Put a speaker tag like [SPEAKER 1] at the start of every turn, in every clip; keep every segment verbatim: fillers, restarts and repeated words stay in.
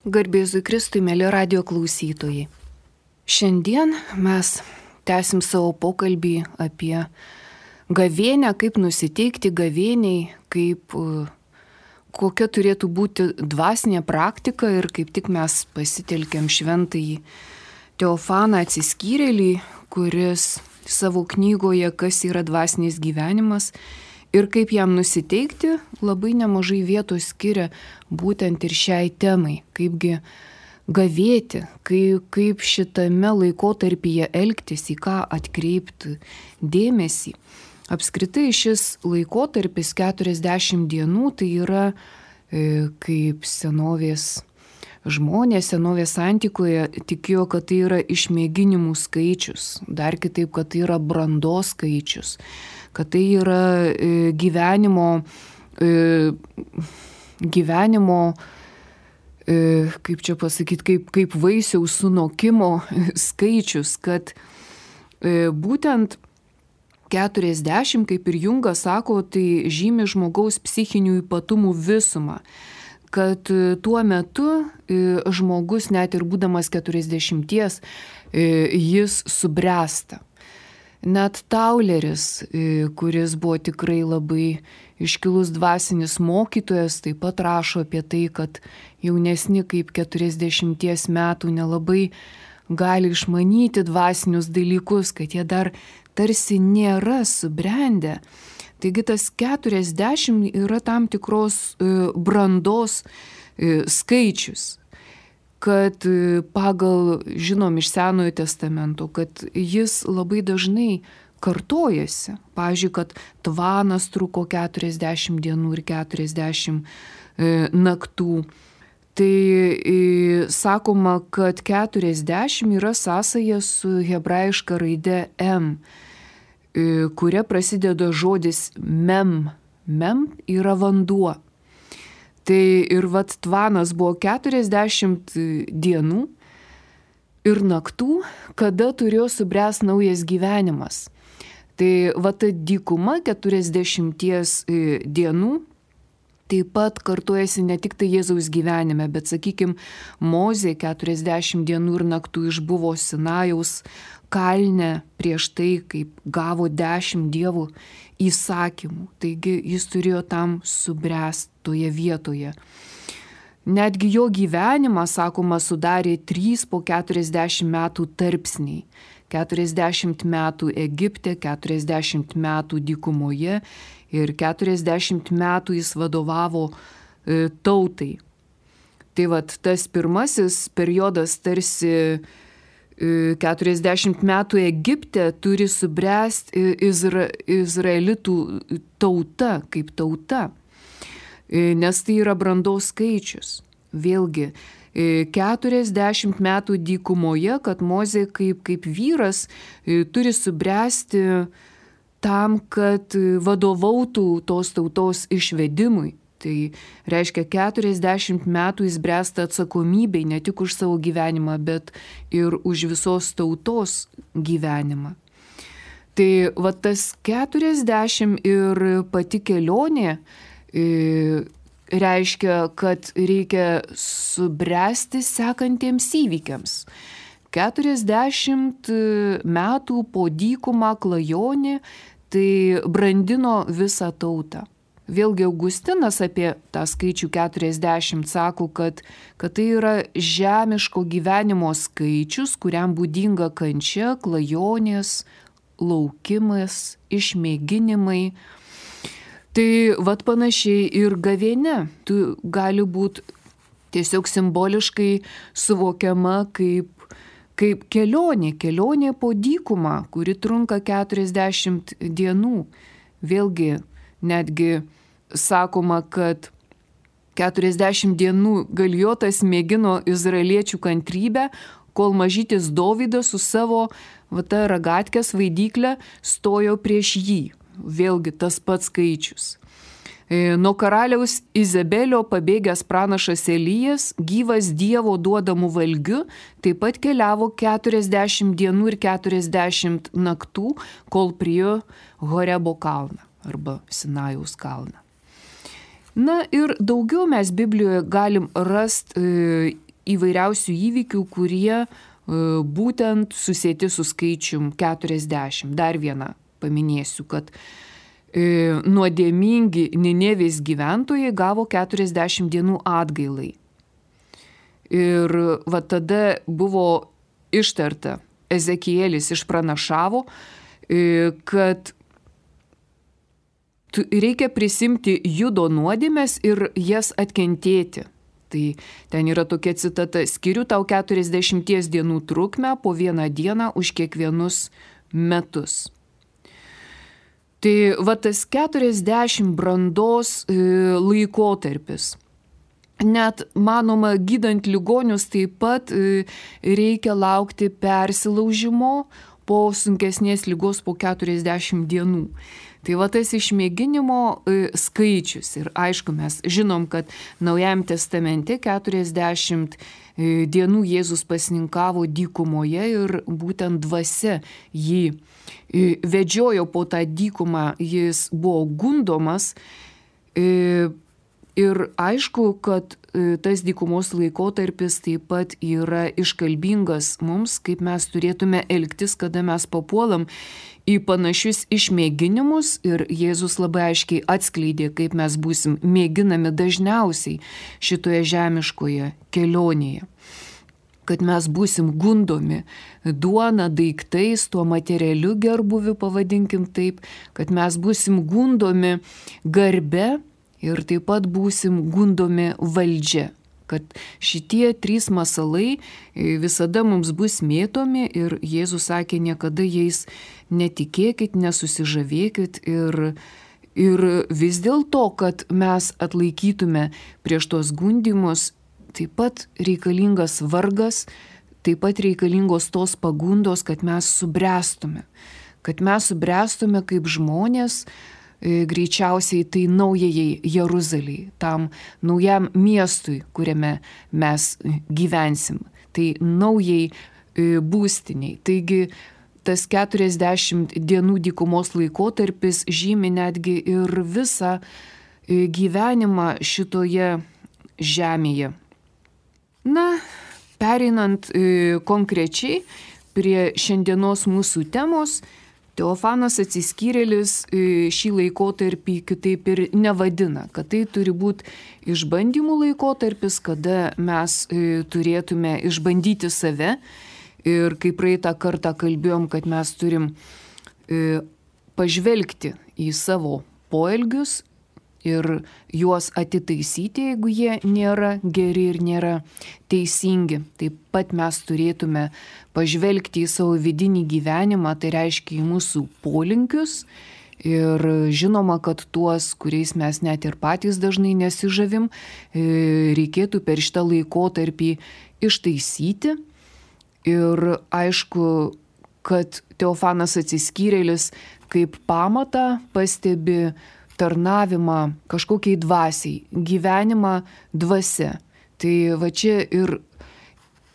[SPEAKER 1] Garbėzui Kristui, mėly radio klausytojai. Šiandien mes tęsim savo pokalbį apie gavėnią, kaip nusiteikti gavėniai, kaip kokia turėtų būti dvasinė praktika ir kaip tik mes pasitelkiam šventąjį Teofaną Atsiskyrėlį, kuris savo knygoje Kas yra dvasinis gyvenimas ir kaip jam nusiteikti, labai nemažai vietos skiria būtent ir šiai temai, kaipgi gavėti, kaip, kaip šitame laikotarpyje elgtis, į ką atkreipti dėmesį. Apskritai šis laikotarpis keturiasdešimt dienų tai yra e, kaip senovės žmonės, senovės antikoje tikėjo, kad tai yra išmėginimų skaičius, dar kitaip, kad tai yra brandos skaičius, kad tai yra e, gyvenimo, e, gyvenimo e, kaip čia pasakyti, kaip, kaip vaisiaus sunokimo skaičius, kad e, būtent keturiasdešimt, kaip ir Jungas sako, tai žymi žmogaus psichinių ypatumų visumą, kad tuo metu žmogus, net ir būdamas keturiasdešimties, jis subręsta. Net Tauleris, kuris buvo tikrai labai iškilus dvasinis mokytojas, taip pat rašo apie tai, kad jaunesni kaip keturiasdešimties metų nelabai gali išmanyti dvasinius dalykus, kad jie dar tarsi nėra subrendę. Taigi tas keturiasdešimt yra tam tikros brandos skaičius, kad pagal, žinom iš Senojo testamento, kad jis labai dažnai kartojasi. Pavyzdžiui, kad tvanas truko keturiasdešimt dienų ir keturiasdešimt naktų. Tai sakoma, kad keturiasdešimt yra sąsaja su hebrajiška raide M, kuria prasideda žodis mem. Mem yra vanduo. Tai ir vat tvanas buvo keturiasdešimt dienų ir naktų, kada turėjo subręsti naujas gyvenimas. Tai vat ta dykuma keturiasdešimties dienų taip pat kartojasi ne tik tai Jėzaus gyvenime, bet, sakykime, Mozė keturiasdešimt dienų ir naktų išbuvo Sinajaus kalne prieš tai, kaip gavo dešimt dievų įsakymų. Taigi jis turėjo tam subręsti toje vietoje. Netgi jo gyvenimą, sakoma, sudarė trys po keturiasdešimt metų tarpsniai. keturiasdešimt metų Egipte, keturiasdešimt metų dykumoje ir keturiasdešimt metų jis vadovavo e, tautai. Tai vat tas pirmasis periodas tarsi e, keturiasdešimt metų Egipte turi subręsti Izra, izraelitų tauta kaip tauta, e, nes tai yra brandos skaičius. Vėlgi, keturiasdešimt metų dykumoje, kad Mozė kaip, kaip vyras turi subręsti tam, kad vadovautų tos tautos išvedimui. Tai reiškia, keturiasdešimt metų jis bręsta atsakomybei ne tik už savo gyvenimą, bet ir už visos tautos gyvenimą. Tai va tas keturiasdešimt ir pati kelionė e, reiškia, kad reikia subręsti sekantiems įvykiams. keturiasdešimt metų po dykumą klajonį tai brandino visą tautą. Vėlgi Augustinas apie tą skaičių keturiasdešimt sako, kad, kad tai yra žemiško gyvenimo skaičius, kuriam būdinga kančia, klajonės, laukimas, išmėginimai. Tai vat panašiai ir gavėnia, tu gali būti tiesiog simboliškai suvokiama kaip, kaip kelionė, kelionė po dykumą, kuri trunka keturiasdešimt dienų. Vėlgi, netgi sakoma, kad keturiasdešimt dienų Galiotas mėgino izraeliečių kantrybę, kol mažytis Dovydas su savo va, ta ragatkės vaidyklę stojo prieš jį. Vėlgi tas pats skaičius. Nuo karaliaus Izabelio pabėgęs pranašas Elijas, gyvas Dievo duodamų valgiu, taip pat keliavo keturiasdešimt dienų ir keturiasdešimt naktų, kol priėjo Horebo kalną arba Sinajaus kalną. Na ir daugiau mes Biblijoje galim rasti e, įvairiausių įvykių, kurie būtent susėti su skaičium keturiasdešimt. Dar vieną paminėsiu, kad nuodėmingi Ninevės gyventojai gavo keturiasdešimt dienų atgailai. Ir va tada buvo ištarta, Ezekielis išpranašavo, kad reikia prisimti Judo nuodėmes ir jas atkentėti. Tai ten yra tokia citata: skiriu tau keturiasdešimties dienų trukmę po vieną dieną už kiekvienus metus. Tai va tas keturiasdešimt brandos laikotarpis. Net, manoma, gydant ligonius taip pat reikia laukti persilaužimo po sunkesnės ligos po keturiasdešimt dienų. Tai va tas išmėginimo skaičius. Ir aišku, mes žinom, kad Naujajam testamente keturiasdešimt dienų Jėzus pasninkavo dykumoje ir būtent dvasia jį vedžiojo po tą dykumą, jis buvo gundomas. Ir aišku, kad tas dykumos laikotarpis taip pat yra iškalbingas mums, kaip mes turėtume elgtis, kada mes papuolam į panašius išmėginimus, ir Jėzus labai aiškiai atskleidė, kaip mes būsim mėginami dažniausiai šitoje žemiškoje kelionėje. Kad mes būsim gundomi duona, daiktais, tuo materialiu gerbuviu, pavadinkim taip, kad mes būsim gundomi garbe, ir taip pat būsim gundomi valdžia, kad šitie trys masalai visada mums bus mėtomi ir Jėzus sakė, niekada jais netikėkit, nesusižavėkit ir, ir vis dėlto, kad mes atlaikytume prieš tos gundymus, taip pat reikalingas vargas, taip pat reikalingos tos pagundos, kad mes subręstume, kad mes subręstume kaip žmonės, greičiausiai tai naujajai Jeruzalei, tam naujam miestui, kuriame mes gyvensim, tai naujai būstiniai. Taigi tas keturiasdešimt dienų dykumos laikotarpis žymi netgi ir visą gyvenimą šitoje žemėje. Na, pereinant konkrečiai prie šiandienos mūsų temos, Teofanas Atsiskyrėlis šį laikotarpį kitaip ir nevadina, kad tai turi būti išbandymų laikotarpis, kada mes turėtume išbandyti save. Ir kaip praeitą kartą kalbėjom, kad mes turim pažvelgti į savo poelgius ir juos atitaisyti, jeigu jie nėra geri ir nėra teisingi. Taip pat mes turėtume pažvelgti į savo vidinį gyvenimą, tai reiškia į mūsų polinkius. Ir žinoma, kad tuos, kuriais mes net ir patys dažnai nesižavim, reikėtų per šitą laikotarpį ištaisyti. Ir aišku, kad Teofanas Atsiskyrėlis kaip pamatą pastebi tarnavimą kažkokiai dvasiai, gyvenimą dvasia. Tai va čia ir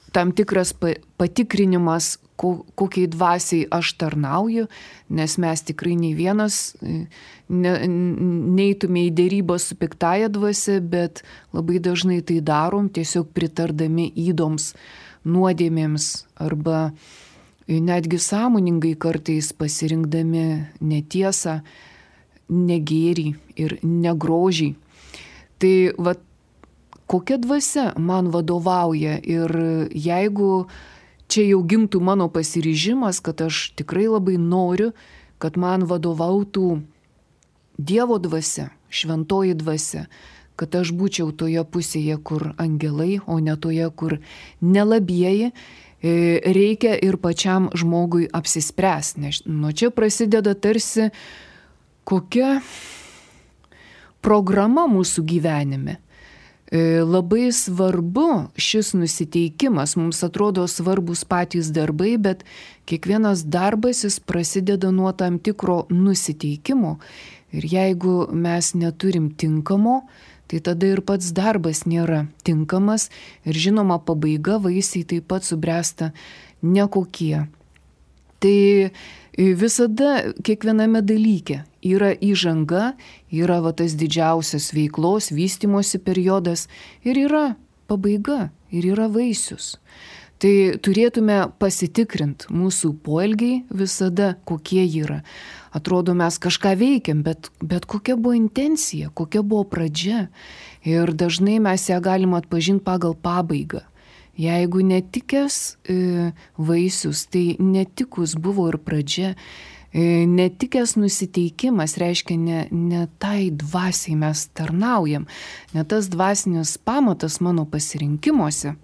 [SPEAKER 1] tam tikras patikrinimas, kokiai dvasiai aš tarnauju, nes mes tikrai nei vienas ne, neitume į dėrybą su piktąja dvasia, bet labai dažnai tai darom tiesiog pritardami ydoms, nuodėmėms arba netgi sąmoningai kartais pasirinkdami netiesą, negėrį ir negrožį. Tai va, kokia dvasia man vadovauja, ir jeigu čia jau gimtų mano pasiryžimas, kad aš tikrai labai noriu, kad man vadovautų Dievo dvasia, šventoji dvasia, kad aš būčiau toje pusėje, kur angelai, o ne toje, kur nelabieji, reikia ir pačiam žmogui apsispręsti. Nes nuo čia prasideda tarsi kokia programa mūsų gyvenime. Labai svarbu šis nusiteikimas, mums atrodo svarbus patys darbai, bet kiekvienas darbas jis prasideda nuo tam tikro nusiteikimo. Ir jeigu mes neturim tinkamo, tai tada ir pats darbas nėra tinkamas ir žinoma pabaiga, vaisiai taip pat subręsta nekokie. Tai visada kiekviename dalyke yra įžanga, yra va tas didžiausias veiklos, vystymosi periodas ir yra pabaiga ir yra vaisius. Tai turėtume pasitikrinti mūsų poelgiai visada, kokie yra. Atrodo, mes kažką veikiam, bet, bet kokia buvo intencija, kokia buvo pradžia. Ir dažnai mes ją galim atpažinti pagal pabaigą. Jeigu netikęs e, vaisius, tai netikus buvo ir pradžia. E, netikęs nusiteikimas reiškia ne, ne tai dvasiai mes tarnaujam, ne tas dvasinis pamatas mano pasirinkimuose.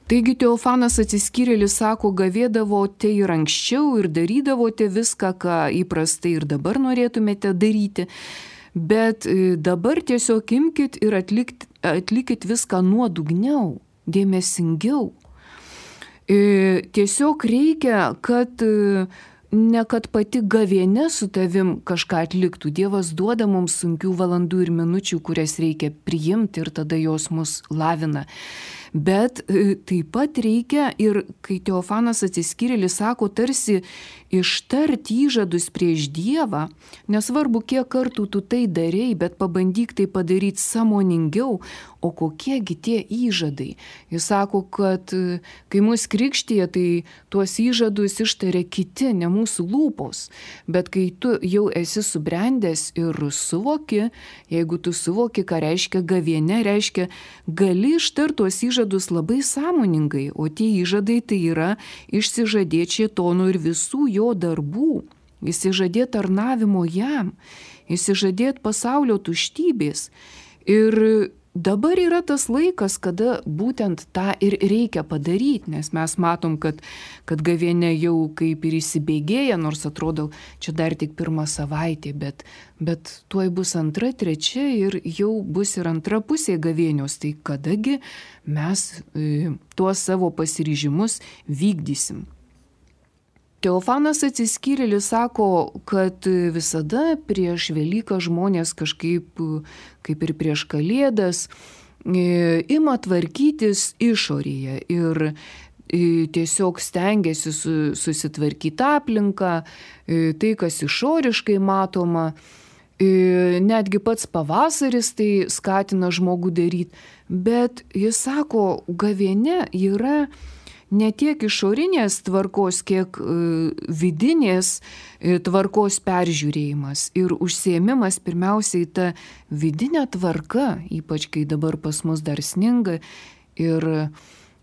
[SPEAKER 1] Taigi Teofanas Atsiskyrėlis sako, gavėdavote ir anksčiau ir darydavote viską, ką įprastai ir dabar norėtumėte daryti, bet dabar tiesiog imkit ir atlikt, atlikit viską nuodugniau, dėmesingiau. Tiesiog reikia, kad ne kad pati gavėnia su tavim kažką atliktų. Dievas duoda mums sunkių valandų ir minučių, kurias reikia priimti ir tada jos mus lavina. Bet taip pat reikia ir, kai Teofanas Atsiskyrėlis sako, tarsi ištarti įžadus prieš Dievą, nesvarbu, kiek kartų tu tai darei, bet pabandyk tai padaryti sąmoningiau, o kokiegi tie įžadai. Jis sako, kad kai mus krikštija, tai tuos įžadus ištaria kiti, ne mūsų lūpos, bet kai tu jau esi subrendęs ir suvoki, jeigu tu suvoki, ką reiškia gavėnia, reiškia, gali ištarti tuos įžadus labai sąmoningai, o tie įžadai tai yra išsižadėti šėtono ir visų jo darbų, išsižadėti tarnavimo jam, išsižadėti pasaulio tuštybės. Ir dabar yra tas laikas, kada būtent tą ir reikia padaryti, nes mes matom, kad, kad gavėnia jau kaip ir įsibėgėja, nors atrodo, čia dar tik pirmą savaitę, bet, bet tuoj bus antra, trečia ir jau bus ir antra pusė gavėnios. Tai kadagi mes e, tuos savo pasiryžimus vykdysim. Teofanas Atsiskyrėlis sako, kad visada prieš Velyką žmonės kažkaip, kaip ir prieš Kalėdas, ima tvarkytis išorėje ir tiesiog stengiasi susitvarkyti aplinką, tai, kas išoriškai matoma. Netgi pats pavasaris tai skatina žmogų daryti, bet jis sako, gavėnia yra ne tiek išorinės tvarkos, kiek vidinės tvarkos peržiūrėjimas ir užsiėmimas pirmiausiai ta vidinė tvarka, ypač kai dabar pas mus dar sninga ir,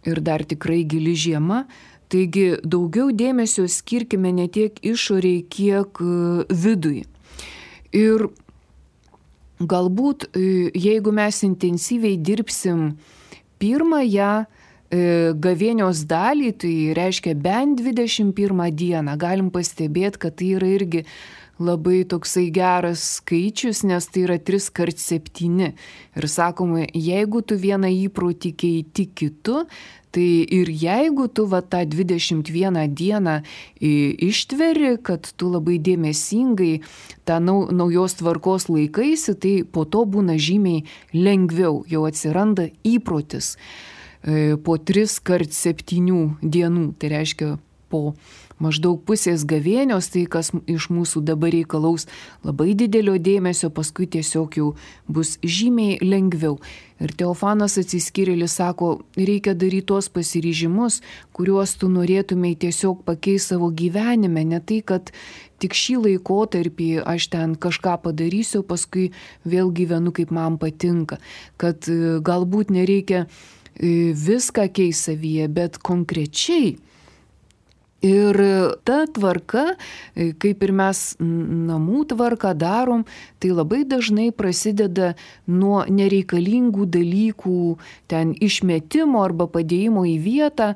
[SPEAKER 1] ir dar tikrai gili žiema. Taigi daugiau dėmesio skirkime ne tiek išoriai, kiek vidui. Ir galbūt, jeigu mes intensyviai dirbsim pirmąją gavėnios dalį, tai reiškia bent dvidešimt pirmą dieną. Galim pastebėti, kad tai yra irgi labai toksai geras skaičius, nes tai yra tris kart septyni. Ir sakoma, jeigu tu vieną įprotį keiti kitu, tai ir jeigu tu va tą dvidešimt vieną dieną ištveri, kad tu labai dėmesingai tą naujos tvarkos laikaisi, tai po to būna žymiai lengviau, jau atsiranda įprotis. Po tris kart septynių dienų, tai reiškia po maždaug pusės gavėnios, tai kas iš mūsų dabar reikalaus labai didelio dėmesio, paskui tiesiog jau bus žymiai lengviau. Ir Teofanas Atsiskyrėlis sako, reikia daryti tuos pasiryžimus, kuriuos tu norėtumei tiesiog pakeisti savo gyvenime, ne tai, kad tik šį laikotarpį aš ten kažką padarysiu, paskui vėl gyvenu, kaip man patinka, kad galbūt nereikia viską keis savyje, bet konkrečiai. Ir ta tvarka, kaip ir mes namų tvarką darom, tai labai dažnai prasideda nuo nereikalingų dalykų, ten išmetimo arba padėjimo į vietą,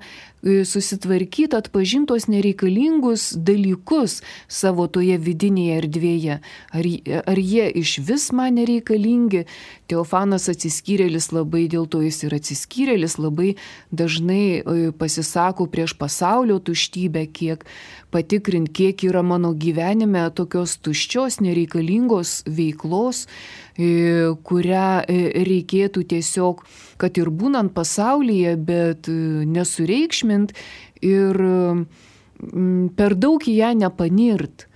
[SPEAKER 1] susitvarkyti, atpažintos nereikalingus dalykus savo toje vidinėje erdvėje. Ar, ar jie iš vis man nereikalingi? Teofanas Atsiskyrėlis labai, dėl to jis ir atsiskyrėlis, labai dažnai pasisako prieš pasaulio tuštybę, kiek patikrint, kiek yra mano gyvenime tokios tuščios, nereikalingos veiklos, kurią reikėtų tiesiog, kad ir būnant pasaulyje, bet nesureikšmint ir per daug į ją nepanirt.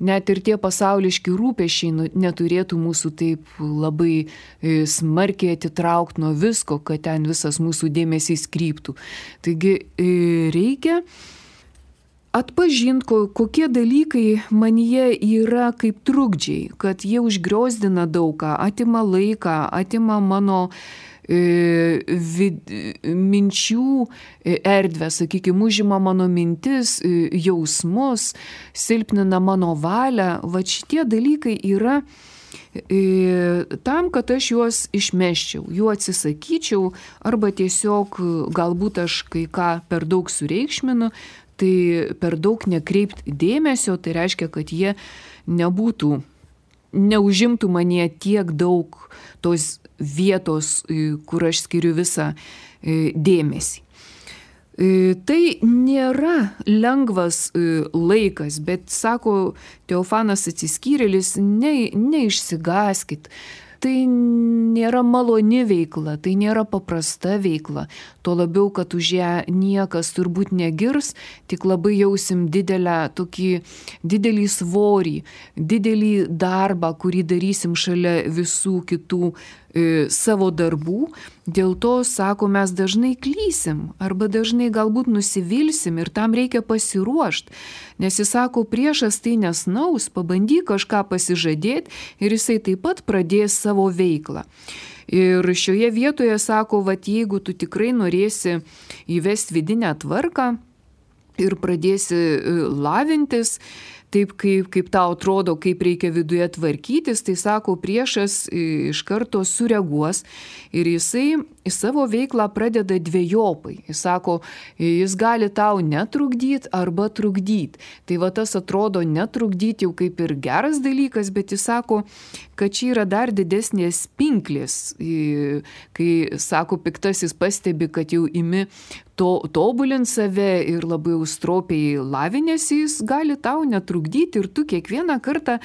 [SPEAKER 1] net ir tie pasauliški rūpesčiai neturėtų mūsų taip labai smarkiai atitraukti nuo visko, kad ten visas mūsų dėmesys kryptų. Taigi reikia atpažinti, kokie dalykai manyje yra kaip trukdžiai, kad jie užgriozdina daugą, atima laiką, atima mano vid, minčių erdvę, sakykime, užima mano mintis, jausmus, silpnina mano valią. Va šitie dalykai yra tam, kad aš juos išmeščiau, jų atsisakyčiau, arba tiesiog galbūt aš kai ką per daug sureikšminu, tai per daug nekreipt dėmesio, tai reiškia, kad jie nebūtų, neužimtų manyje tiek daug tos vietos, kur aš skiriu visą dėmesį. Tai nėra lengvas laikas, bet, sako Teofanas Atsiskyrėlis, ne, neišsigąskit. Tai nėra maloni veikla, tai nėra paprasta veikla. Tuo labiau, kad už ją niekas turbūt negirs, tik labai jausim didelę, tokį didelį svorį, didelį darbą, kurį darysim šalia visų kitų e, savo darbų. Dėl to, sako, mes dažnai klysim arba dažnai galbūt nusivilsim ir tam reikia pasiruošti. Nes jis sako, priešas tai nesnaus, pabandyk kažką pasižadėti ir jisai taip pat pradės savo veiklą. Ir šioje vietoje sako, vat jeigu tu tikrai norėsi įvesti vidinę tvarką ir pradėsi lavintis, taip kaip, kaip tau atrodo, kaip reikia viduje tvarkytis, tai sako, priešas iš karto sureaguos ir jisai savo veiklą pradeda dvejopai. Jis sako, jis gali tau netrukdyti arba trukdyti. Tai va tas atrodo netrukdyti jau kaip ir geras dalykas, bet jis sako, kad čia yra dar didesnės pinklės. Kai, sako, piktasis pastebi, kad jau imi to, tobulint save ir labai užstropiai lavinėsi, jis gali tau netrukdyti ir tu kiekvieną kartą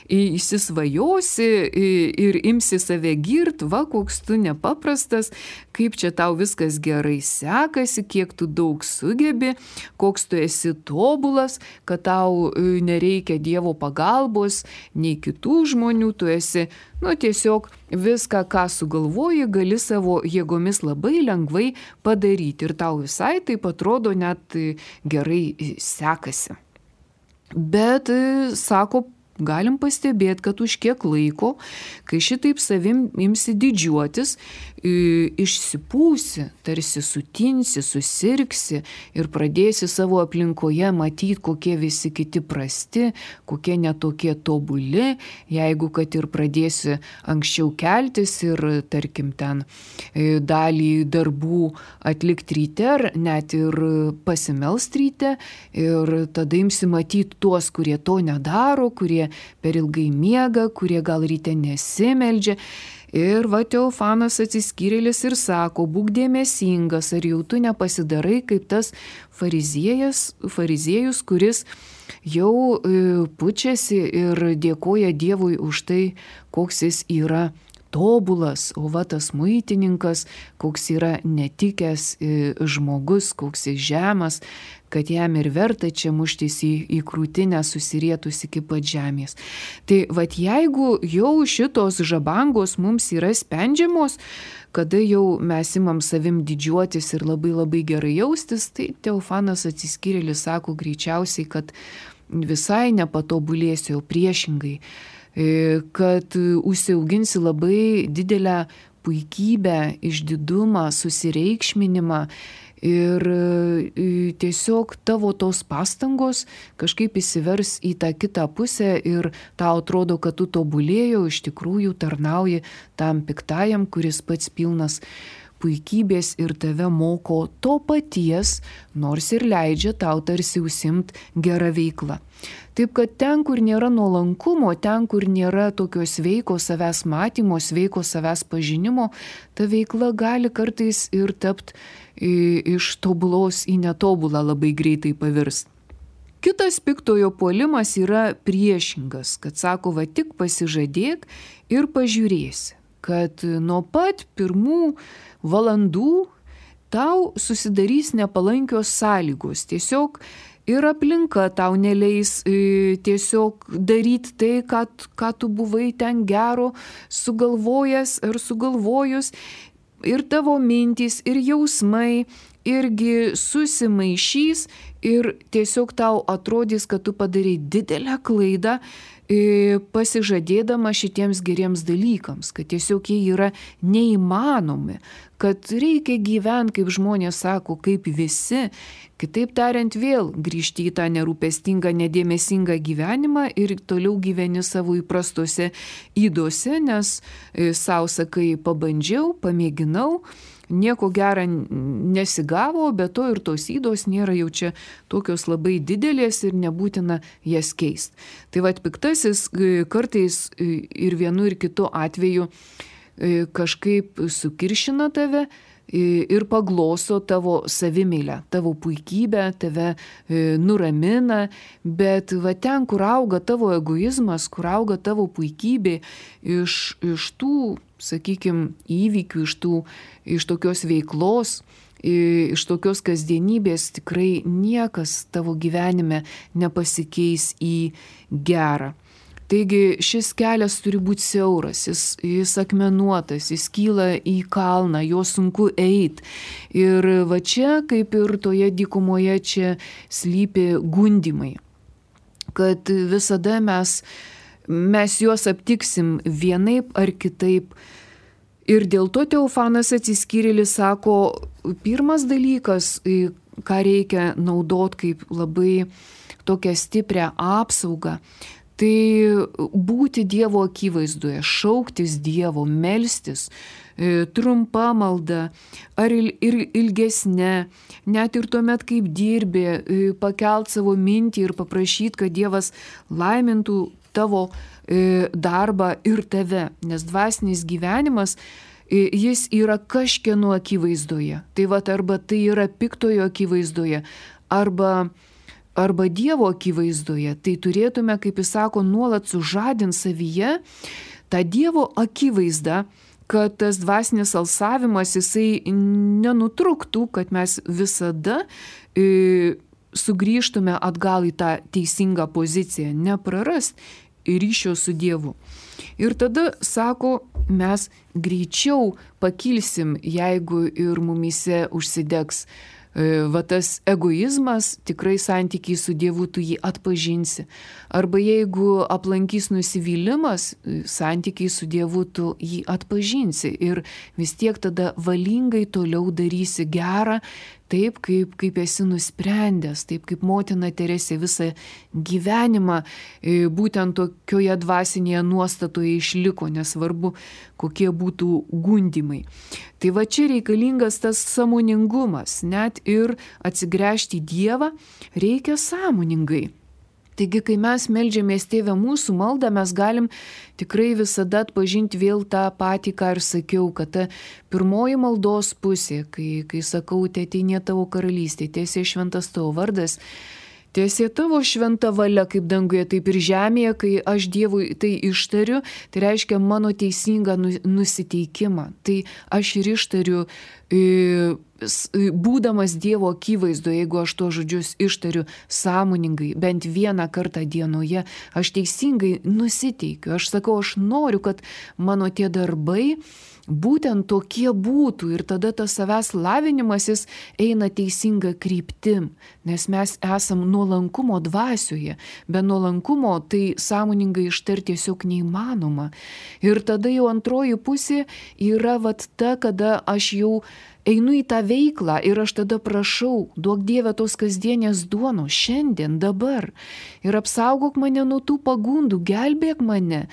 [SPEAKER 1] įsisvajosi ir imsi save girt, va, koks tu nepaprastas, kaip čia tau viskas gerai sekasi, kiek tu daug sugebi, koks tu esi tobulas, kad tau nereikia Dievo pagalbos, nei kitų žmonių, tu esi, nu, tiesiog viską, ką sugalvoji, gali savo jėgomis labai lengvai padaryti ir tau visai taip atrodo net gerai sekasi. Bet, sako, galim pastebėti, kad už kiek laiko, kai šitaip savim imsi didžiuotis, išsipūsi, tarsi sutinsi, susirgsi ir pradėsi savo aplinkoje matyti, kokie visi kiti prasti, kokie netokie tobuli, jeigu kad ir pradėsi anksčiau keltis ir, tarkim, ten dalį darbų atlikti ryte, ar net ir pasimelst ryte, ir tada imsi matyti tuos, kurie to nedaro, kurie per ilgai miega, kurie gal ryte nesimeldžia. Ir va Teofanas Atsiskyrėlis ir sako, būk dėmesingas, ar jau tu nepasidarai kaip tas fariziejas, fariziejus, kuris jau pučiasi ir dėkoja Dievui už tai, koks jis yra tobulas, o va tas muitininkas, koks yra netikęs žmogus, koks jis žemas, kad jam ir verta čia muštis į, į krūtinę susirietus iki pat žemės. Tai vat jeigu jau šitos žabangos mums yra spendžiamos, kada jau mes imam savim didžiuotis ir labai labai gerai jaustis, tai Teofanas Atsiskyrėlis sako greičiausiai, kad visai nepatobulėsi, o priešingai, kad užsiauginsi labai didelę puikybę, išdidumą, susireikšminimą ir tiesiog tavo tos pastangos kažkaip įsivers į tą kitą pusę ir tau atrodo, kad tu tobulėjau, iš tikrųjų tarnauji tam piktajam, kuris pats pilnas puikybės ir tave moko to paties, nors ir leidžia tau tarsi užsiimt gerą veiklą. Taip kad ten, kur nėra nuolankumo, ten, kur nėra tokio sveiko savęs matymo, sveiko savęs pažinimo, ta veikla gali kartais ir tapti iš tobulos į netobulą labai greitai pavirst. Kitas piktojo puolimas yra priešingas, kad sako, va tik pasižadėk ir pažiūrėsi, kad nuo pat pirmų valandų tau susidarys nepalankios sąlygos. Tiesiog ir aplinka tau neleis e, tiesiog daryti tai, ką, ką tu buvai ten gero sugalvojęs ar sugalvojus. Ir tavo mintys, ir jausmai irgi susimaišys ir tiesiog tau atrodys, kad tu padarai didelę klaidą, pasižadėdama šitiems geriems dalykams, kad tiesiog jie yra neįmanomi, kad reikia gyventi, kaip žmonės sako, kaip visi. Kitaip tariant, vėl grįžti į tą nerūpestingą, nedėmesingą gyvenimą ir toliau gyveni savo įprastose ydose, nes sau sakai, pabandžiau, pamėginau, nieko gera nesigavo, bet to ir tos ydos nėra jau čia tokios labai didelės ir nebūtina jas keisti. Tai vat piktasis kartais ir vienu ir kitu atveju kažkaip sukiršina tave ir pagloso tavo savimeilę, tavo puikybę, tave nuramina, bet va ten, kur auga tavo egoizmas, kur auga tavo puikybė iš, iš tų, sakykime, įvykių, iš, tų, iš tokios veiklos, iš tokios kasdienybės, tikrai niekas tavo gyvenime nepasikeis į gerą. Taigi šis kelias turi būti siauras, jis, jis akmenuotas, jis kyla į kalną, jo sunku eiti. Ir va čia, kaip ir toje dykumoje, čia slypi gundymai, kad visada mes, mes juos aptiksim vienaip ar kitaip. Ir dėl to Teofanas Atsiskyrėlis sako, pirmas dalykas, ką reikia naudot kaip labai tokią stiprią apsaugą, tai būti Dievo akivaizdoje, šauktis Dievo, melstis, trumpa malda ar ir ilgesnė, net ir tuomet, kaip dirbi, pakelt savo mintį ir paprašyti, kad Dievas laimintų tavo darbą ir tave, nes dvasinis gyvenimas, jis yra kažkieno akivaizdoje. Tai va, arba tai yra piktojo akivaizdoje, arba arba Dievo akivaizdoje, tai turėtume, kaip jis sako, nuolat sužadinti savyje tą Dievo akivaizdą, kad tas dvasinis alsavimas jisai nenutruktų, kad mes visada e, sugrįžtume atgal į tą teisingą poziciją, neprarast ryšio su Dievu. Ir tada, sako, mes greičiau pakilsim, jeigu ir mumyse užsidegs va tas egoizmas, tikrai santykiai su Dievu tu jį atpažinsi. Arba jeigu aplankys nusivylimas, santykiai su Dievu tu jį atpažinsi ir vis tiek tada valingai toliau darysi gerą, taip kaip, kaip esi nusprendęs, taip kaip motina Teresė visą gyvenimą būtent tokioje dvasinėje nuostatoje išliko, nesvarbu, kokie būtų gundymai. Tai va čia reikalingas tas sąmoningumas, net ir atsigręžti į Dievą reikia sąmoningai. Taigi, kai mes meldžiamės Tėve mūsų maldą, mes galim tikrai visada atpažinti vėl tą patį, ką ir sakiau, kad ta pirmoji maldos pusė, kai, kai sakau, teateinie tavo karalystė, tiesie šventas tavo vardas, tiesie tavo šventa valia kaip danguje, taip ir žemėje, kai aš Dievui tai ištariu, tai reiškia mano teisingą nusiteikimą. Tai aš ir ištariu, būdamas Dievo akivaizdoje, jeigu aš to žodžius ištariu sąmoningai, bent vieną kartą dienoje, aš teisingai nusiteikiu. Aš sakau, aš noriu, kad mano tie darbai būtent tokie būtų ir tada tas savęs lavinimasis eina teisinga kryptim, nes mes esam nuolankumo dvasioje. Be nuolankumo tai sąmoningai ištarti tiesiog neįmanoma. Ir tada jau antroji pusė yra vat ta, kada aš jau einu į tą veiklą ir aš tada prašau, duok Dieve tos kasdienės duonos šiandien, dabar. Ir apsaugok mane nuo tų pagundų, gelbėk mane.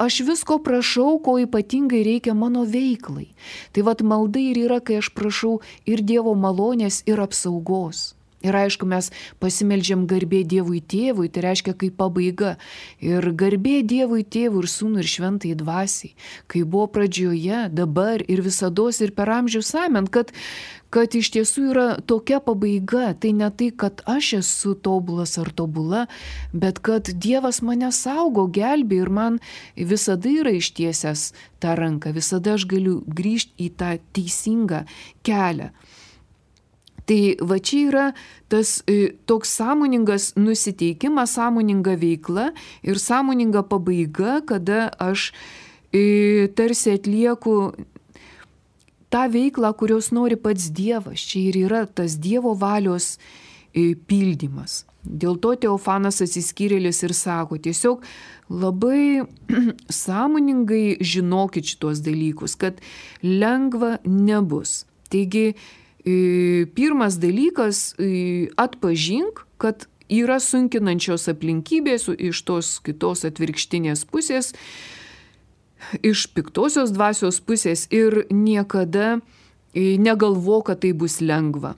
[SPEAKER 1] Aš visko prašau, ko ypatingai reikia mano veiklai. Tai vat malda ir yra, kai aš prašau ir Dievo malonės, ir apsaugos. Ir aišku, mes pasimeldžiam garbė Dievui Tėvui, tai reiškia kaip pabaiga. Ir garbė Dievui Tėvui ir Sūnui ir Šventai Dvasiai, kai buvo pradžioje, dabar ir visados ir per amžius amen, kad, kad iš tiesų yra tokia pabaiga. Tai ne tai, kad aš esu tobulas ar tobula, bet kad Dievas mane saugo, gelbė ir man visada yra ištiesęs tą ranką, visada aš galiu grįžti į tą teisingą kelią. Tai va čia yra tas e, toks sąmoningas nusiteikimas, sąmoninga veikla ir sąmoninga pabaiga, kada aš e, tarsi atlieku tą veiklą, kurios nori pats Dievas. Čia ir yra tas Dievo valios e, pildymas. Dėl to Teofanas Atsiskyrėlis ir sako, tiesiog labai sąmoningai žinokit šitos dalykus, kad lengva nebus. Taigi, pirmas dalykas, atpažink, kad yra sunkinančios aplinkybės iš tos kitos atvirkštinės pusės, iš piktosios dvasios pusės ir niekada negalvo, kad tai bus lengva.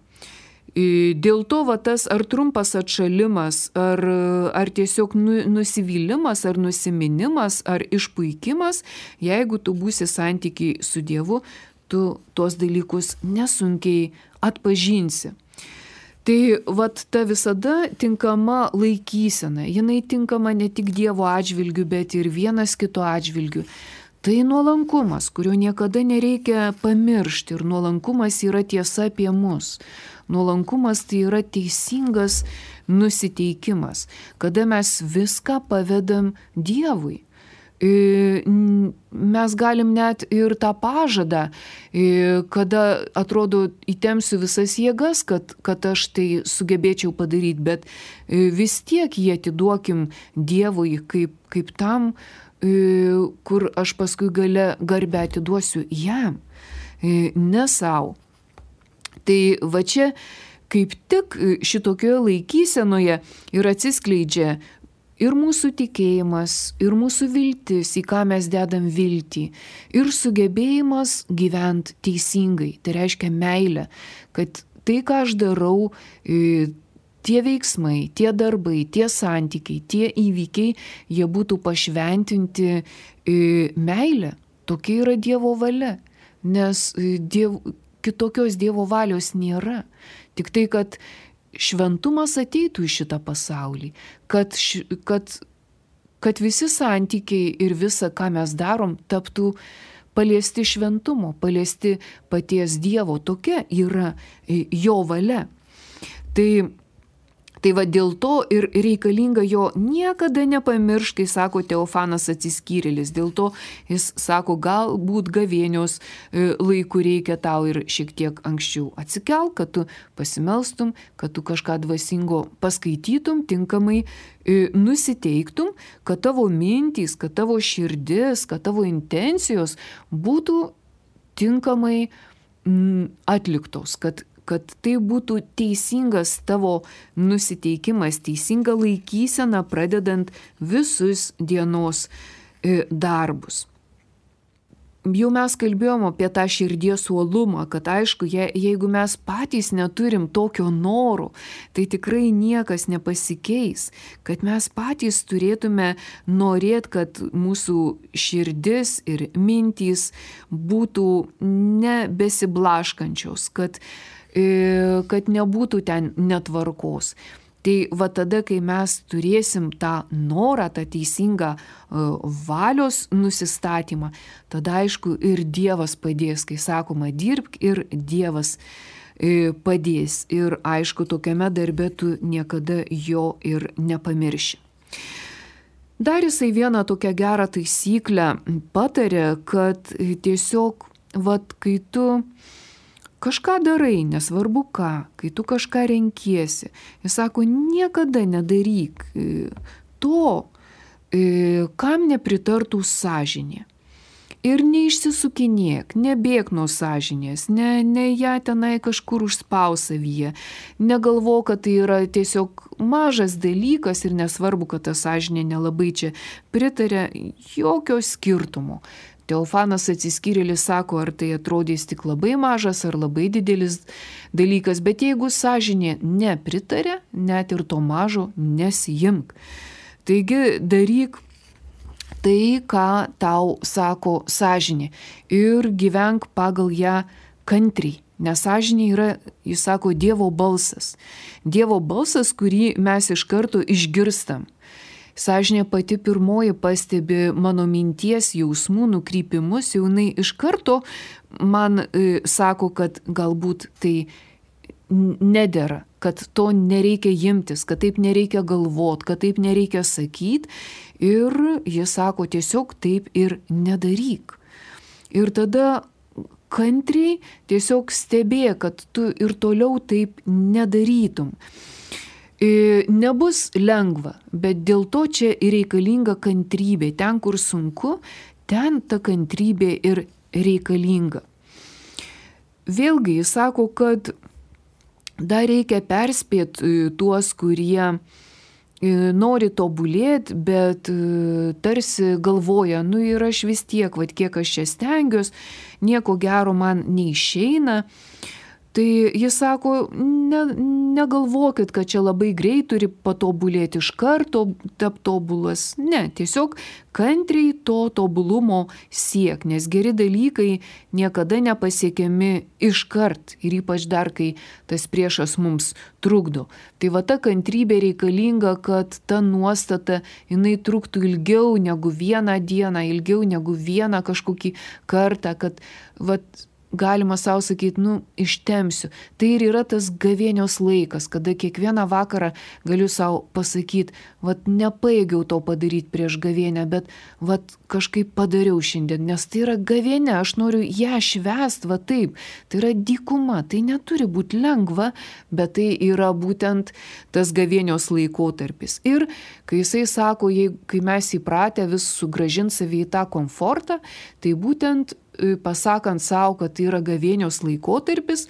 [SPEAKER 1] Dėl to va, tas ar trumpas atšalimas, ar, ar tiesiog nusivylimas, ar nusiminimas, ar išpuikimas, jeigu tu būsi santykiai su Dievu, tu tuos dalykus nesunkiai atpažinsi. Tai vat ta visada tinkama laikysena, jinai tinkama ne tik Dievo atžvilgiu, bet ir vienas kito atžvilgiu. Tai nuolankumas, kurio niekada nereikia pamiršti, ir nuolankumas yra tiesa apie mus. Nuolankumas tai yra teisingas nusiteikimas, kada mes viską pavedam Dievui. Mes galim net ir tą pažadą, kada atrodo įtempsiu visas jėgas, kad, kad aš tai sugebėčiau padaryti, bet vis tiek jį atiduokim Dievui kaip, kaip tam, kur aš paskui gale garbę atiduosiu jam, ne savo. Tai va čia kaip tik šitokioje laikysenoje ir atsiskleidžia ir mūsų tikėjimas, ir mūsų viltis, į ką mes dedam viltį, ir sugebėjimas gyventi teisingai. Tai reiškia meilę, kad tai, ką aš darau, tie veiksmai, tie darbai, tie santykiai, tie įvykiai, jie būtų pašventinti meilę. Tokia yra Dievo valia, nes diev, kitokios Dievo valios nėra. Tik tai, kad šventumas ateitų į šitą pasaulį, kad, kad, kad visi santykiai ir visa, ką mes darom, taptų paliesti šventumo, paliesti paties Dievo. Tokia yra jo valia. Tai Tai va dėl to ir reikalinga jo niekada nepamiršti, kai sako Teofanas Atsiskyrėlis. Dėl to jis sako, galbūt gavėnios laiku reikia tau ir šiek tiek anksčiau atsikelk, kad tu pasimelstum, kad tu kažką dvasingo paskaitytum, tinkamai nusiteiktum, kad tavo mintys, kad tavo širdis, kad tavo intencijos būtų tinkamai atliktos, kad kad tai būtų teisingas tavo nusiteikimas, teisinga laikysena, pradedant visus dienos darbus. Jau mes kalbėjom apie tą širdies uolumą, kad aišku, je, jeigu mes patys neturim tokio noro, tai tikrai niekas nepasikeis, kad mes patys turėtume norėti, kad mūsų širdis ir mintys būtų nebesiblaškančios, kad kad nebūtų ten netvarkos. Tai va tada, kai mes turėsim tą norą, tą teisingą valios nusistatymą, tada aišku ir Dievas padės, kai sakoma, dirbk ir Dievas padės. Ir aišku, tokiame darbe tu niekada jo ir nepamirši. Dar jisai vieną tokią gerą taisyklę patarė, kad tiesiog, vat, kai tu kažką darai, nesvarbu ką, kai tu kažką renkiesi, jis sako, niekada nedaryk to, kam nepritartų sąžinė. Ir neišsisukinėk, nebėk nuo sąžinės, ne, ne ją tenai kažkur užspaus savyje, negalvo, kad tai yra tiesiog mažas dalykas ir nesvarbu, kad ta sąžinė nelabai čia pritarė, jokio skirtumo. Teofanas Atsiskyrėlis sako, ar tai atrodys tik labai mažas ar labai didelis dalykas, bet jeigu sąžinė nepritarė, net ir to mažo nesijimk. Taigi daryk tai, ką tau sako sąžinė ir gyvenk pagal ją kantriai. Nes sąžinė yra, jis sako, Dievo balsas. Dievo balsas, kurį mes iš karto išgirstam. Sąžinė pati pirmoji pastebi mano minties, jausmų, nukrypimus, jau jinai iš karto man e, sako, kad galbūt tai nedera, kad to nereikia imtis, kad taip nereikia galvot, kad taip nereikia sakyti. Ir jis sako, tiesiog taip ir nedaryk. Ir tada kantriai tiesiog stebė, kad tu ir toliau taip nedarytum. Nebus lengva, bet dėl to čia ir reikalinga kantrybė. Ten, kur sunku, ten ta kantrybė ir reikalinga. Vėlgi jis sako, kad dar reikia perspėti tuos, kurie nori tobulėti, bet tarsi galvoja, nu ir aš vis tiek, vat kiek aš čia stengiuos, nieko gero man neišeina. Tai jis sako, ne, negalvokit, kad čia labai greit turi patobulėti iš karto, tap tobulas. Ne, tiesiog kantriai to tobulumo siek, nes geri dalykai niekada nepasiekiami iškart ir ypač dar, kai tas priešas mums trukdo. Tai va ta kantrybė reikalinga, kad ta nuostata jinai truktų ilgiau negu vieną dieną, ilgiau negu vieną kažkokį kartą, kad vat galima savo sakyti, nu, ištemsiu. Tai ir yra tas gavėnios laikas, kada kiekvieną vakarą galiu savo pasakyti, vat nepajėgiau to padaryti prieš gavėnę, bet vat kažkaip padariau šiandien, nes tai yra gavėnė, aš noriu ją švęsti, va taip. Tai yra dykuma, tai neturi būti lengva, bet tai yra būtent tas gavėnios laikotarpis. Ir kai jisai sako, jei, kai mes įpratę vis sugrąžinti savį į tą komfortą, tai būtent pasakant savo, kad tai yra gavėnios laikotarpis,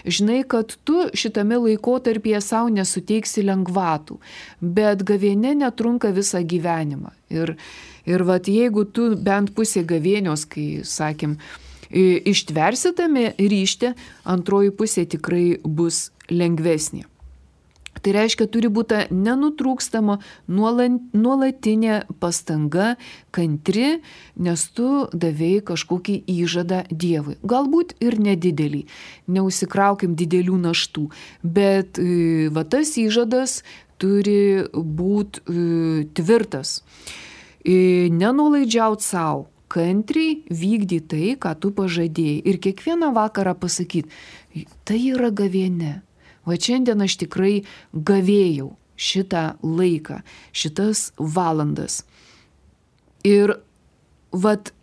[SPEAKER 1] žinai, kad tu šitame laikotarpyje savo nesuteiksi lengvatų, bet gavėnė netrunka visą gyvenimą. Ir, ir vat, jeigu tu bent pusė gavėnios, kai, sakym, ištversi tame ryšte, antroji pusė tikrai bus lengvesnė. Tai reiškia, turi būti nenutrūkstama nuolatinė pastanga, kantri, nes tu davėjai kažkokį įžadą Dievui. Galbūt ir nedidelį, neusikraukim didelių naštų, bet va tas įžadas turi būti tvirtas. Nenuolaidžiaut savo, kantriai vykdyti tai, ką tu pažadėjai. Ir kiekvieną vakarą pasakyti, tai yra gavėnė. Va šiandien aš tikrai gavėjau šitą laiką, šitas valandas. Ir vat,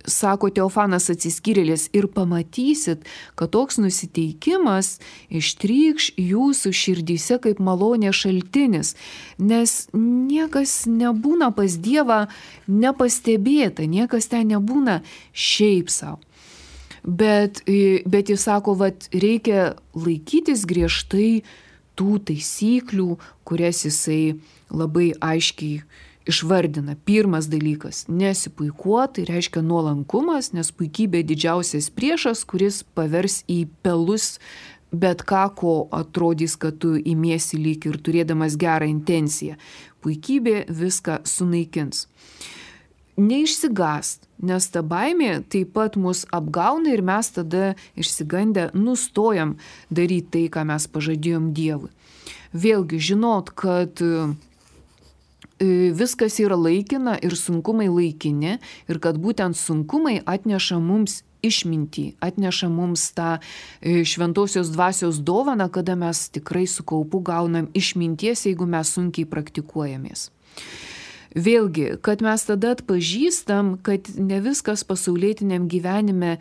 [SPEAKER 1] sako Teofanas Atsiskyrėlis, ir pamatysit, kad toks nusiteikimas ištrykš jūsų širdyse kaip malonė šaltinis, nes niekas nebūna pas Dievą nepastebėta, niekas ten nebūna šiaip savo. Bet, bet jis sako, vat, reikia laikytis griežtai tų taisyklių, kurias jisai labai aiškiai išvardina. Pirmas dalykas – nesipuikuot, tai reiškia nuolankumas, nes puikybė didžiausias priešas, kuris pavers į pelus bet ką, ko atrodys, kad tu imiesi lyg ir turėdamas gerą intenciją. Puikybė viską sunaikins. Neišsigąst, nes ta baimė taip pat mus apgauna ir mes tada išsigandę nustojam daryti tai, ką mes pažadėjom Dievui. Vėlgi žinot, kad viskas yra laikina ir sunkumai laikini ir kad būtent sunkumai atneša mums išmintį, atneša mums tą šventosios dvasios dovaną, kada mes tikrai su kaupu gaunam išminties, jeigu mes sunkiai praktikuojamės. Vėlgi, kad mes tada atpažįstam, kad ne viskas pasaulietiniam gyvenime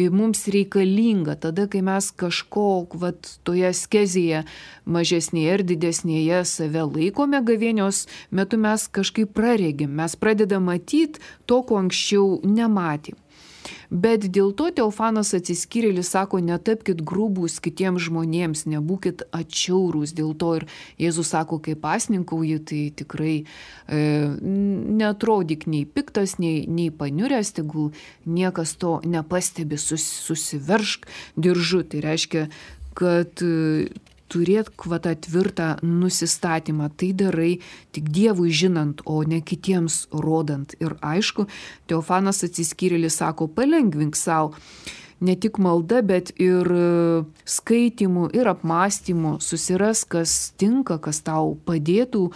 [SPEAKER 1] mums reikalinga, tada, kai mes kažko vat, toje skezėje mažesnėje ir didesnėje save laikome gavėnios metu, mes kažkaip praregim, mes pradedam matyti to, ko anksčiau nematėm. Bet dėl to Teofanas Atsiskyrėlis sako, netapkit grūbūs kitiems žmonėms, nebūkit atšiaurūs. Dėl to ir Jėzus sako, kai pasninkauji, tai tikrai e, neatrodyk nei piktas, nei, nei paniuręs, tegul niekas to nepastebi, sus, susiveršk diržu. Tai reiškia, kad e, turėt kvata tvirtą nusistatymą, tai darai tik Dievui žinant, o ne kitiems rodant. Ir aišku, Teofanas Atsiskyrėlis sako, palengvink savo ne tik malda, bet ir skaitimu ir apmąstymu, susiras, kas tinka, kas tau padėtų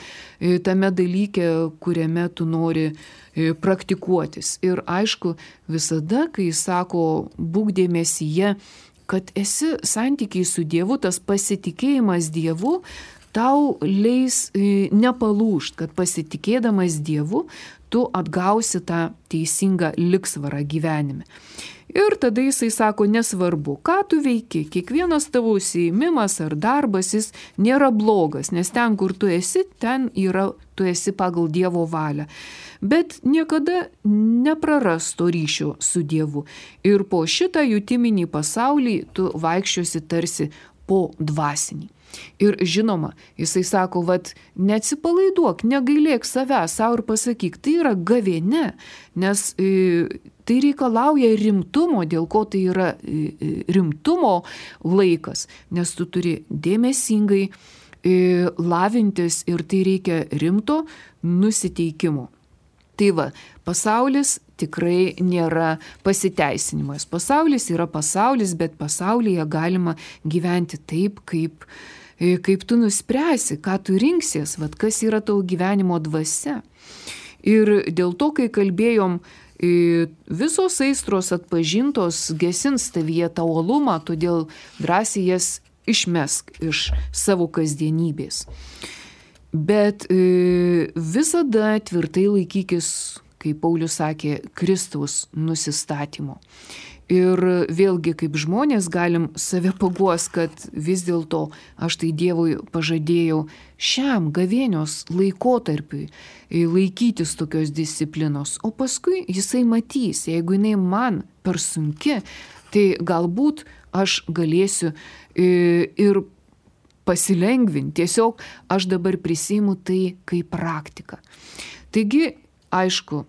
[SPEAKER 1] tame dalyke, kuriame tu nori praktikuotis. Ir aišku, visada, kai jis sako, būk dėmesyje, kad esi santykiai su Dievu, tas pasitikėjimas Dievu tau leis nepalūžt, kad pasitikėdamas Dievu tu atgausi tą teisingą ligsvarą gyvenime. Ir tada jisai sako, nesvarbu, ką tu veiki, kiekvienas tavo užsiėmimas ar darbas jis nėra blogas, nes ten, kur tu esi, ten yra, tu esi pagal Dievo valią. Bet niekada nepraras to ryšio su Dievu. Ir po šitą jutiminį pasaulį tu vaikščiosi tarsi po dvasinį. Ir žinoma, jisai sako, vat, neatsipalaiduok, negailėk savęs, savo ir pasakyk, tai yra gavėnia, nes e, tai reikalauja rimtumo, dėl ko tai yra e, rimtumo laikas, nes tu turi dėmesingai e, lavintis ir tai reikia rimto nusiteikimo. Tai va, pasaulis tikrai nėra pasiteisinimas. Pasaulis yra pasaulis, bet pasaulyje galima gyventi taip, kaip, kaip tu nuspręsi, ką tu rinksies, vat, kas yra tavo gyvenimo dvasia. Ir dėl to, kai kalbėjom, visos aistros atpažintos gesins tavyje tą uolumą, todėl drąsiai jas išmesk iš savo kasdienybės. Bet e, visada tvirtai laikykis, kaip Paulius sakė, Kristaus nusistatymo. Ir vėlgi, kaip žmonės galim save paguos, kad vis dėlto aš tai Dievui pažadėjau šiam gavėnios laikotarpiui laikytis tokios disciplinos, o paskui jisai matys, jeigu jinai man per sunki, tai galbūt aš galėsiu e, ir pasilengvinti. Tiesiog aš dabar prisiimu tai kaip praktiką. Taigi, aišku,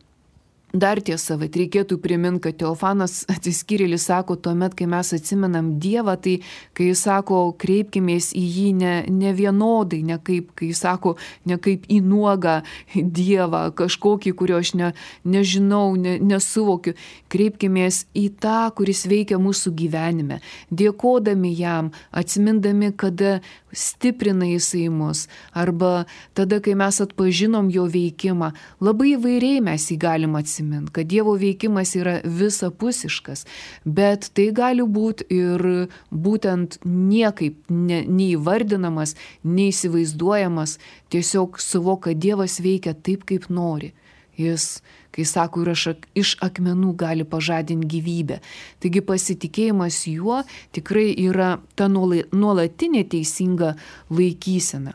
[SPEAKER 1] dar tiesa, bet reikėtų priminti, kad Teofanas atsiskyrėlis sako, tuomet, kai mes atsimenam Dievą, tai kai jis sako, kreipkimės į jį ne, ne vienodai, ne kaip, kai jis sako, ne kaip į nuogą Dievą, kažkokį, kurio aš ne, nežinau, ne, nesuvokiu. Kreipkimės į tą, kuris veikia mūsų gyvenime, dėkodami jam, atsimindami, kada stiprina jisai mus, arba tada, kai mes atpažinom jo veikimą, labai įvairiai mes jį galim atsiminti, kad Dievo veikimas yra visapusiškas, bet tai gali būti ir būtent niekaip ne, neįvardinamas, neįsivaizduojamas, tiesiog suvok, kad Dievas veikia taip, kaip nori. Jis, kai sako, ir iš akmenų gali pažadinti gyvybę. Taigi pasitikėjimas juo tikrai yra ta nuolatinė teisinga laikysena.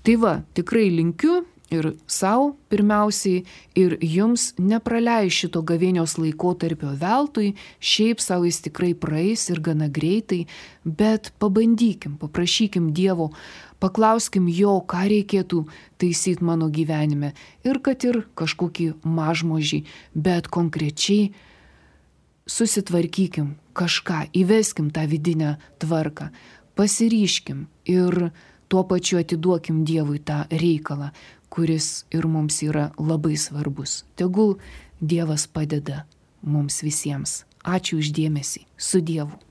[SPEAKER 1] Tai va, tikrai linkiu ir savo pirmiausiai, ir jums nepraleis šito gavėnios laikotarpio veltui, šiaip savo jis tikrai praeis ir gana greitai, bet pabandykim, paprašykim Dievo, paklauskim jo, ką reikėtų taisyti mano gyvenime ir kad ir kažkokį mažmožį, bet konkrečiai susitvarkykim kažką, įveskim tą vidinę tvarką, pasiryškim ir tuo pačiu atiduokim Dievui tą reikalą, kuris ir mums yra labai svarbus. Tegul Dievas padeda mums visiems. Ačiū už dėmesį. Su Dievu.